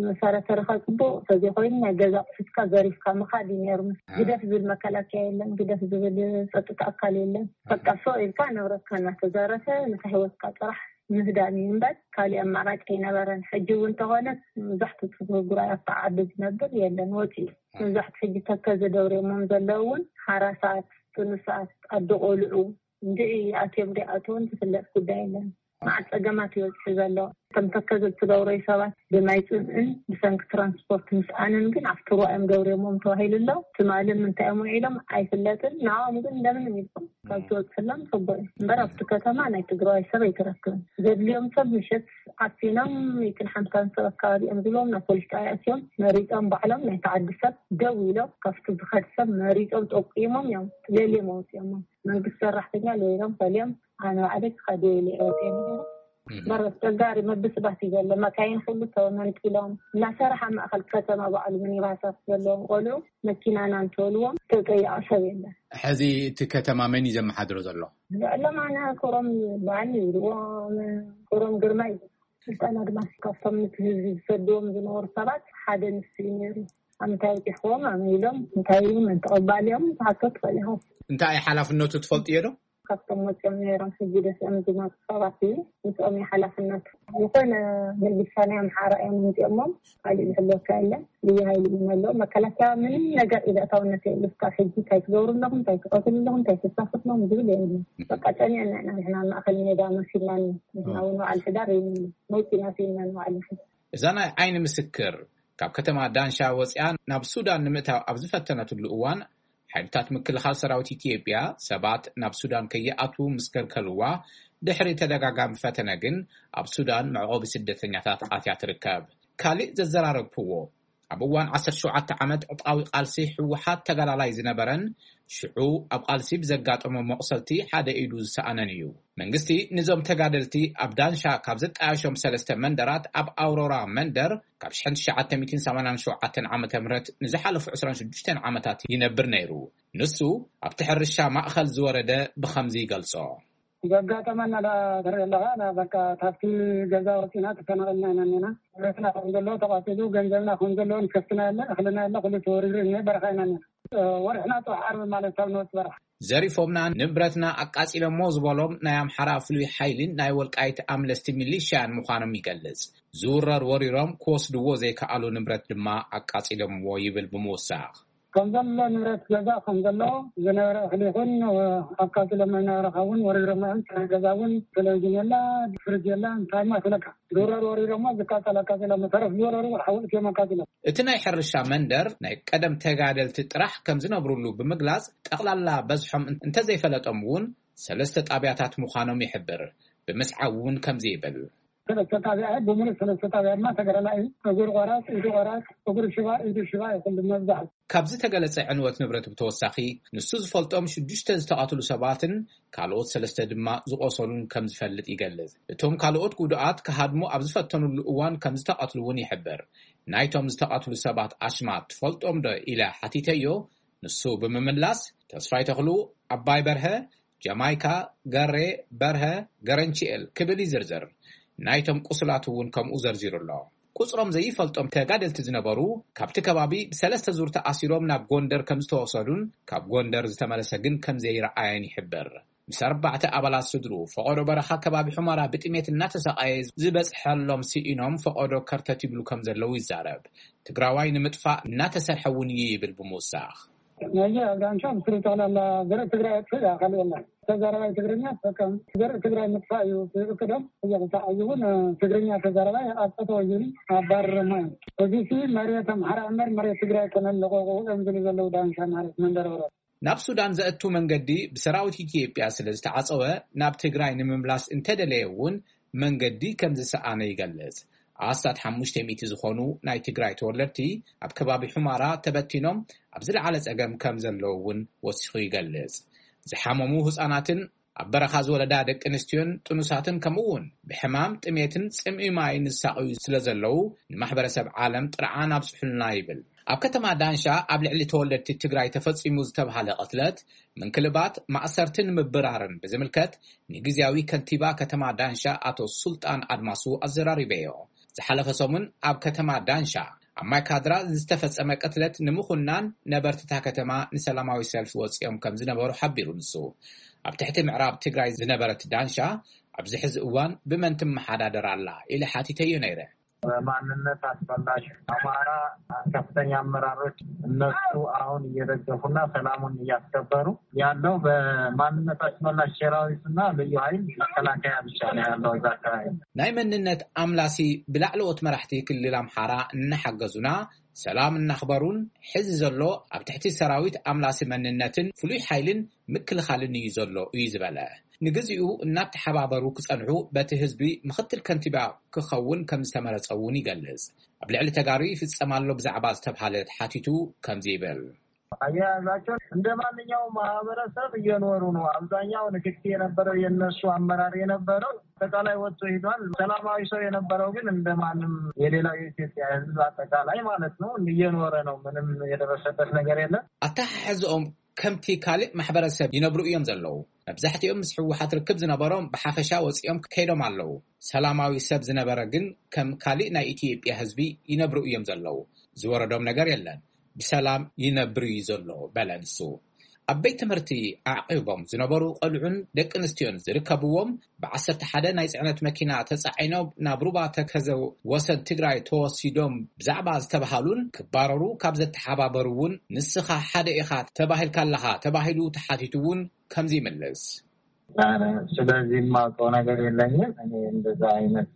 መሳርያ ተረኻ ፅቡቕ ተዘይኮይኑ ናይ ገዛ ኣቑሑትካ ዘሪፍካ ምኻድ እዩ ነይሩ። ግደፍ ዝብል መከላከያ የለን፣ ግደፍ ዝብል ፀጥታ ኣካል የለን። በቃ ሶ ኢልካ ንብረትካ እናተዘረፈ ንሳ ህይወትካ ጥራሕ ምህዳን እዩ እምበር ካሊእ ኣማራጭ ኣይነበረን። ሕጂ እውን እንተኾነ መብዛሕትኡ ትጉራይ ኣብታ ዓዲ ዝነብር የለን፣ ወፂኡ። መብዛሕትኡ ሕጂ ተከዘ ደውርዮሞም ዘለዉ እውን ሓራሳት፣ ጥኑሳት፣ ኣደ ቆልዑ እንድዒ ኣትዮም ደይኣትውን ዝፍለጥ ጉዳይ የለን። መዓት ፀገማት ይበፅሑ ዘሎ። እቶም ተከዘ ትደውረዩ ሰባት ብማይ ፅምእን ብሰንኪ ትራንስፖርት ምስኣንን ግን ኣብቲ ሩባ እዮም ደውርዮሞም ተባሂሉ ኣሎ። ትማሊ ምንታይ እዮም ውዒሎም ኣይፍለጥን። ንዕኦም ግን እንደምንም ኢልኩም ካብ ትወፅሎም ፅቡቅ እዩ እምበር ኣብቲ ከተማ ናይ ትግራዋይ ሰብ ኣይትረክብን። ዘድልዮም ሰብ ምሸት ዓፊኖም ሚእትን ሓምሳን ሰብ ኣካባቢ እዮም ዝብሎም ናብ ፖሊስ ጣብያ ኣትዮም መሪፆም ባዕሎም ናይቲ ዓዲ ሰብ ደው ኢሎም ካብቲ ዝኸድ ሰብ መሪፆም ጠቂሞም እዮም ለልዮም ኣውፅኦሞም። መንግስቲ ሰራሕተኛ ለይሎም ፈልዮም ኣነ ባዕለይ ክኸድ ኢለ እየ ወፅየ ነይረ። በረስ ተጋሪ ምብስባስ እዩ ዘሎ። መካይን ኩሉ ተመንጢሎም እናሰራሕ ኣብ ማእኸል ከተማ ባዕሉ ሚኒባሳት ዘለዎም ቆልዑ መኪናና እንተበልዎም ተጠያቂ ሰብ የለን። ሕዚ እቲ ከተማ መን እዩ ዘመሓድሮ ዘሎ? ልዕሎም ኣነ ኮሮም በዓል ይብልዎም። ኮሮም ግርማ እዩ። ስልጠና ድማ ካብቶም ነቲ ህዝቢ ዝሰድዎም ዝነበሩ ሰባት ሓደ ንሱ እዩ ነይሩ። ኣብ እንታይ ውፂኹዎም ኣመ ኢሎም እንታይ እዩ መን ተቐባሊኦም ትሓቶ ትኽእል ኢኻ። እንታይ ሓላፍነቱ ትፈልጥዮ ዶ? ካብቶም ወፂኦም ነይሮም ሕጂ ደስኦም ዝመፁ ሰባት እዩ። ምስኦም እዩ ሓላፍነቱ። ዝኾነ ምልሻ ናይ ኣምሓራ እዮም ምምፂኦሞም ካሊእ ዝሕለወካ የለን። ልዩ ሃይሊ እዩ መለኦ። መከላከያ ምንም ነገር ኢለእታውነት የብሉ። እስካብ ሕጂ እንታይ ትገብሩ ኣለኹም፣ እንታይ ትቐትሉ ኣለኹም፣ እንታይ ተሳፍርሎም ዝብል የብሉ። በቃ ጨኒዕና ኢና ንሕና ማእኸል ሜዳ መሲልናኒ። ንሕና እውን በዓል ሕዳር የብሉ። መውፂና ስኢንና ንባዕልና ሕጂ። እዛ ናይ ዓይኒ ምስክር ካብ ከተማ ዳንሻ ወፂኣ ናብ ሱዳን ንምእታው ኣብ ዝፈተነትሉ እዋን ሓይልታት ምክልኻል ሰራዊት ኢትዮጵያ ሰባት ናብ ሱዳን ከይኣትዉ ምስ ከልከልዋ ድሕሪ ተደጋጋሚ ፈተነ ግን ኣብ ሱዳን መዕቆቢ ስደተኛታት ኣትያ ትርከብ። ካሊእ ዘዘራረብክዎ ኣብ እዋን ዓሰርተ ሸውዓተ ዓመት ዕጥቃዊ ቃልሲ ህወሓት ተጋዳላይ ዝነበረን ሽዑ ኣብ ቃልሲ ብዘጋጠሞ መቑሰልቲ ሓደ ኢዱ ዝሰኣነን እዩ። መንግስቲ ንዞም ተጋደልቲ ኣብ ዳንሻ ካብ ዘጣየሾም ሰለስተ መንደራት ኣብ ኣውሮራ መንደር ካብ ሽሕን ትሽዓተ ሚእትን ሰማንያን ሸውዓተን ዓመተ ምህረት ንዝሓለፉ ዕስራን ሽዱሽተን ዓመታት ይነብር ነይሩ። ንሱ ኣብቲ ሕርሻ ማእኸል ዝወረደ ብኸምዚ ይገልጾ። ዘጋጠመና ዳ ትርኢ ኣለኻ ና በቃ ካብቲ ገዛ ወፂና ተፈናቐልና ኢና እኒና። ንብረትና ከም ዘሎ ተቓፂሉ ገንዘብና ከም ዘሎ ንከፍትና የለ እኽልና የለ ኩሉ ተወሪሩ እኒ በረኻ ኢና እኒና። ወርሕና ፅባሕ ዓርቢ ማለት ካብ ንወፅ በረኻ። ዘሪፎምና ንብረትና ኣቃፂሎሞ ዝበሎም ናይ ኣምሓራ ፍሉይ ሓይሊን ናይ ወልቃይት ኣምለስቲ ሚሊሽያን ምዃኖም ይገልፅ። ዝውረር ወሪሮም ክወስድዎ ዘይከኣሉ ንብረት ድማ ኣቃፂሎምዎ ይብል ብምውሳኽ። ከም ዘሎ ንብረት ገዛ ከም ዘሎ ዝነበረ እኽሊ ይኹን ኣቃፂሎም ዝነበረ ካ እውን ወሪሮሞ እዮም። ጥረ ገዛ እውን ቴሌቪዥን የላ ፍርጅ የላ እንታይ ማስለካ ዝውረር ወሪሮሞ ዝቃፀል ኣቃፂሎሞ ተረፍ ዝወረሩ ሓዊ እዮም ኣቃፂሎም። እቲ ናይ ሕርሻ መንደር ናይ ቀደም ተጋደልቲ ጥራሕ ከም ዝነብሩሉ ብምግላፅ ጠቕላላ በዝሖም እንተዘይፈለጦም እውን ሰለስተ ጣብያታት ምዃኖም ይሕብር። ብምስዓብ እውን ከምዚ ይብል። ሰለስተ ጣብያ እዩ ብምሉእ ሰለስተ ጣብያ ድማ ተጋዳላይ እዩ። እግሪ ቆራፅ ኢዱ ቆራፅ እግሪ ሽባ ኢዱ ሽባ እዩ ኩሉ መብዛሕቱ። ካብ ዝተገለጸ ዕንወት ንብረት ብተወሳኺ ንሱ ዝፈልጦም ሽዱሽተ ዝተቐትሉ ሰባትን ካልኦት ሰለስተ ድማ ዝቖሰሉን ከም ዝፈልጥ ይገልጽ። እቶም ካልኦት ጉዱኣት ክሃድሙ ኣብ ዝፈተኑሉ እዋን ከም ዝተቐትሉ እውን ይሕብር። ናይቶም ዝተቐትሉ ሰባት ኣሽማት ትፈልጦም ዶ ኢለ ሓቲተዮ። ንሱ ብምምላስ ተስፋይ ተኽሉ፣ ኣባይ በርሀ፣ ጀማይካ፣ ገሬ፣ በርሀ፣ ገረንቺኤል ክብል ይዝርዝር። ናይቶም ቁሱላት እውን ከምኡ ዘርዚሩ ኣሎ። ቁፅሮም ዘይፈልጦም ተጋደልቲ ዝነበሩ ካብቲ ከባቢ ብሰለስተ ዙር ተኣሲሮም ናብ ጎንደር ከም ዝተወሰዱን ካብ ጎንደር ዝተመለሰ ግን ከም ዘይረኣየን ይሕብር። ምስ ኣርባዕተ ኣባላት ስድርኡ ፈቐዶ በረኻ ከባቢ ሑመራ ብጥሜት እናተሰቓየ ዝበፅሐሎም ስኢኖም ፈቐዶ ከርተት ይብሉ ከም ዘለዉ ይዛረብ። ትግራዋይ ንምጥፋእ እናተሰርሐ እውን እዩ ይብል ብምውሳኽ። ነዚ ኣብ ዳንሻ ብስሩ ጠቕላላ ዘርኢ ትግራይ ኣጥፍእ እያ ካልእ የለን። ተዛራባይ ትግርኛ ተጠቀም ዘርኢ ትግራይ ምጥፋእ እዩ እቅዶም። እየቕፃዕ እዚ እውን ትግርኛ ተዛራባይ ኣብ ጠጠው ይብል ኣባርረማ እዩ። እዚ ሲ መሬት ኣምሓራ እምበር መሬት ትግራይ ኣይኮነን ለቆቁ እዮም ዝብሉ ዘለዉ ዳንሻ ማለት መንደር ወረዳ። ናብ ሱዳን ዘእቱ መንገዲ ብሰራዊት ኢትዮጵያ ስለ ዝተዓጸወ፣ ናብ ትግራይ ንምምላስ እንተደለየ እውን መንገዲ ከም ዝሰኣነ ይገልጽ። ኣስታት ሓሙሽተ ሚእቲ ዝኾኑ ናይ ትግራይ ተወለድቲ ኣብ ከባቢ ሑማራ ተበቲኖም ኣብ ዝለዓለ ጸገም ከም ዘለዉ እውን ወሲኹ ይገልጽ። ዝሓመሙ ህጻናትን ኣብ በረኻ ዝወለዳ ደቂ ኣንስትዮን ጥኑሳትን፣ ከምኡ እውን ብሕማም፣ ጥሜትን ጽምኢ ማይን ዝሳቐዩ ስለ ዘለዉ፣ ንማሕበረሰብ ዓለም ጥርዓን ኣብጽሑልና ይብል። ኣብ ከተማ ዳንሻ ኣብ ልዕሊ ተወለድቲ ትግራይ ተፈጺሙ ዝተባህለ ቅትለት፣ ምንክልባት፣ ማእሰርትን ምብራርን ብዝምልከት ንግዝያዊ ከንቲባ ከተማ ዳንሻ ኣቶ ሱልጣን ኣድማሱ ኣዘራሪበዮ። ዝሓለፈ ሰሙን ኣብ ከተማ ዳንሻ ኣብ ማይካድራ ዝተፈጸመ ቅትለት ንምኹናን ነበርትታ ከተማ ንሰላማዊ ሰልፊ ወጺኦም ከም ዝነበሩ ሓቢሩ። ንሱ ኣብ ትሕቲ ምዕራብ ትግራይ ዝነበረት ዳንሻ ኣብዚ ሕዚ እዋን ብመን ትመሓዳደር ኣላ ኢለ ሓቲተዮ ነይረ። በማንነት አስመላሽ አማራ ከፍተኛ አመራሮች እነሱ አሁን እየደገፉና ሰላሙን እያስከበሩ ያለው በማንነት አስመላሽ ሰራዊትና ልዩ ኃይል መከላከያ ብቻ ነው ያለው እዛ አካባቢ። ናይ መንነት ኣምላሲ ብላዕለዎት መራሕቲ ክልል ኣምሓራ እናሓገዙና ሰላም እናኽበሩን፣ ሕዚ ዘሎ ኣብ ትሕቲ ሰራዊት ኣምላሲ መንነትን ፍሉይ ሓይልን ምክልኻልን እዩ ዘሎ እዩ ዝበለ። ንግዚኡ እናተሓባበሩ ክጸንሑ በቲ ህዝቢ ምኽትል ከንቲባ ክኸውን ከም ዝተመረጸ እውን ይገልጽ። ኣብ ልዕሊ ተጋሩ ይፍጸም ኣሎ ብዛዕባ ዝተብሃለ ተሓቲቱ ከምዚ ይብል። አያያዛቸው እንደ ማንኛውም ማህበረሰብ እየኖሩ ነው። አብዛኛው ንክኪ የነበረው የነሱ አመራር የነበረው አጠቃላይ ወጥቶ ሄዷል። ሰላማዊ ሰው የነበረው ግን እንደ ማንም የሌላው የኢትዮጵያ ህዝብ አጠቃላይ ማለት ነው እየኖረ ነው። ምንም የደረሰበት ነገር የለም። ኣተሓሕዝኦም ከምቲ ካልእ ማሕበረሰብ ይነብሩ እዮም ዘለዉ። መብዛሕትኦም ምስ ህወሓት ርክብ ዝነበሮም ብሓፈሻ ወፂኦም ከይዶም ኣለዉ። ሰላማዊ ሰብ ዝነበረ ግን ከም ካልእ ናይ ኢትዮጵያ ህዝቢ ይነብሩ እዮም ዘለዉ። ዝወረዶም ነገር የለን። ብሰላም ይነብር እዩ ዘሎ በለ ንሱ። ኣብ ቤት ትምህርቲ ኣዕቂቦም ዝነበሩ ቆልዑን ደቂ ኣንስትዮን ዝርከብዎም ብዓሰርተ ሓደ ናይ ጽዕነት መኪና ተጻዒኖም ናብ ሩባ ተከዘ ወሰን ትግራይ ተወሲዶም ብዛዕባ ዝተባሃሉን ክባረሩ ካብ ዘተሓባበሩ እውን ንስኻ ሓደ ኢኻ ተባሂልካ ኣለኻ ተባሂሉ ተሓቲቱ እውን ከምዚ ይምልስ። ስለዚህ የማውቀው ነገር የለኝም። እኔ እንደዛ አይነት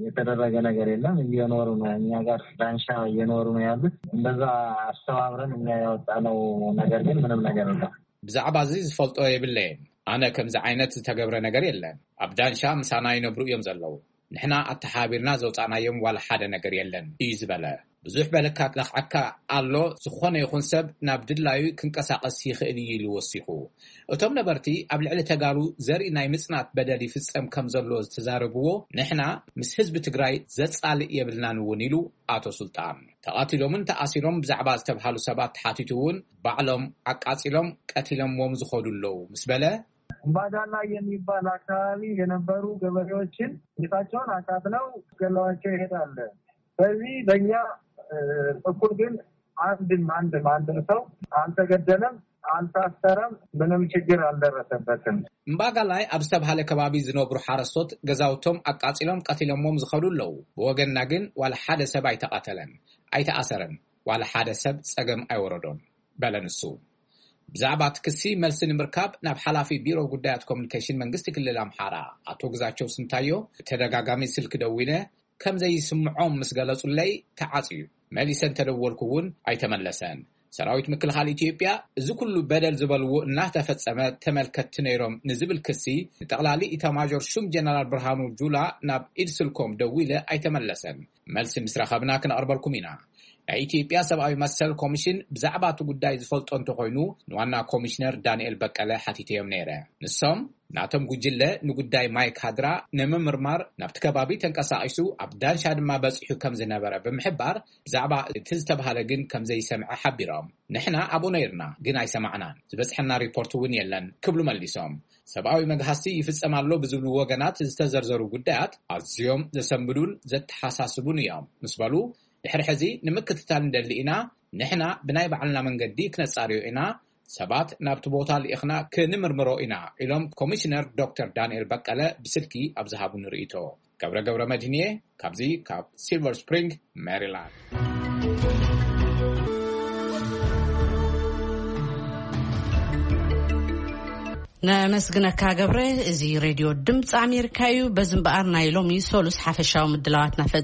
የተደረገ ነገር የለም። እየኖሩ ነው፣ እኛ ጋር ዳንሻ እየኖሩ ነው ያሉት። እንደዛ አስተባብረን እኛ ያወጣነው ነገር ግን ምንም ነገር የለም። ብዛዕባ እዚ ዝፈልጦ የብለይን። ኣነ ከምዚ ዓይነት ዝተገብረ ነገር የለን። ኣብ ዳንሻ ምሳና ይነብሩ እዮም ዘለዉ። ንሕና ኣተሓባቢርና ዘውፃእናዮም ዋላ ሓደ ነገር የለን እዩ ዝበለ። ብዙሕ በለካ ለኽዓካ ኣሎ። ዝኾነ ይኹን ሰብ ናብ ድላዩ ክንቀሳቐስ ይኽእል እዩ ኢሉ ወሲኹ። እቶም ነበርቲ ኣብ ልዕሊ ተጋሩ ዘርኢ ናይ ምጽናት በደል ይፍጸም ከም ዘሎ ዝተዛረብዎ፣ ንሕና ምስ ህዝቢ ትግራይ ዘጻልእ የብልናን እውን ኢሉ ኣቶ ሱልጣን። ተቓቲሎምን ተኣሲሮም ብዛዕባ ዝተብሃሉ ሰባት ተሓቲቱ እውን ባዕሎም ኣቃጺሎም ቀቲሎምዎም ዝኸዱ ኣለዉ ምስ በለ፣ እምባዳላ የሚባል አካባቢ የነበሩ ገበሬዎችን ቤታቸውን አቃጥለው ገለዋቸው ይሄዳል። በዚህ በእኛ በኩል ግን አንድም አንድም አንድም ሰው አልተገደለም፣ አልታሰረም፣ ምንም ችግር አልደረሰበትም። እምባጋላይ ኣብ ዝተባሃለ ከባቢ ዝነብሩ ሓረስቶት ገዛውቶም ኣቃጺሎም ቀቲሎሞም ዝኸዱ ኣለዉ። ብወገንና ግን ዋላ ሓደ ሰብ ኣይተቐተለን፣ ኣይተኣሰረን፣ ዋላ ሓደ ሰብ ጸገም ኣይወረዶን በለ ንሱ። ብዛዕባ እቲ ክሲ መልሲ ንምርካብ ናብ ሓላፊ ቢሮ ጉዳያት ኮሚኒኬሽን መንግስቲ ክልል ኣምሓራ ኣቶ ግዛቸው ስንታዮ ብተደጋጋሚ ስልኪ ደዊለ ከም ዘይስምዖም ምስ ገለጹለይ ተዓጽዩ። መሊሰ እንተደወልኩ እውን ኣይተመለሰን። ሰራዊት ምክልኻል ኢትዮጵያ እዚ ኩሉ በደል ዝበልዎ እናተፈጸመ ተመልከትቲ ነይሮም ንዝብል ክሲ ንጠቕላሊ ኢታማዦር ሹም ጀነራል ብርሃኑ ጁላ ናብ ኢድ ስልኮም ደዊለ ኣይተመለሰን። መልሲ ምስ ረኸብና ክነቕርበልኩም ኢና። ናይ ኢትዮጵያ ሰብኣዊ መሰል ኮሚሽን ብዛዕባ እቲ ጉዳይ ዝፈልጦ እንተኾይኑ ንዋና ኮሚሽነር ዳንኤል በቀለ ሓቲተዮም ነይረ። ንሶም ናቶም ጉጅለ ንጉዳይ ማይካድራ ንምምርማር ናብቲ ከባቢ ተንቀሳቒሱ ኣብ ዳንሻ ድማ በጺሑ ከም ዝነበረ ብምሕባር ብዛዕባ እቲ ዝተባህለ ግን ከም ዘይሰምዐ ሓቢሮም። ንሕና ኣብኡ ነይርና ግን ኣይሰማዕናን፣ ዝበጽሐና ሪፖርት እውን የለን ክብሉ መሊሶም። ሰብኣዊ መግሃስቲ ይፍጸም ኣሎ ብዝብሉ ወገናት ዝተዘርዘሩ ጉዳያት ኣዝዮም ዘሰንብዱን ዘተሓሳስቡን እዮም ምስ በሉ፣ ድሕሪ ሕዚ ንምክትታል ንደሊ ኢና። ንሕና ብናይ ባዕልና መንገዲ ክነጻርዮ ኢና። ሰባት ናብቲ ቦታ ልኢኽና ክንምርምሮ ኢና ኢሎም ኮሚሽነር ዶክተር ዳንኤል በቀለ ብስልኪ ኣብ ዝሃቡኒ ርእይቶ። ገብረ ገብረ መድህንየ ካብዚ ካብ ሲልቨር ስፕሪንግ ሜሪላንድ። ነመስግነካ ገብረ። እዚ ሬድዮ ድምፂ ኣሜሪካ እዩ። በዚ እምበኣር ናይ ሎሚ ሶሉስ ሓፈሻዊ ምድላዋትና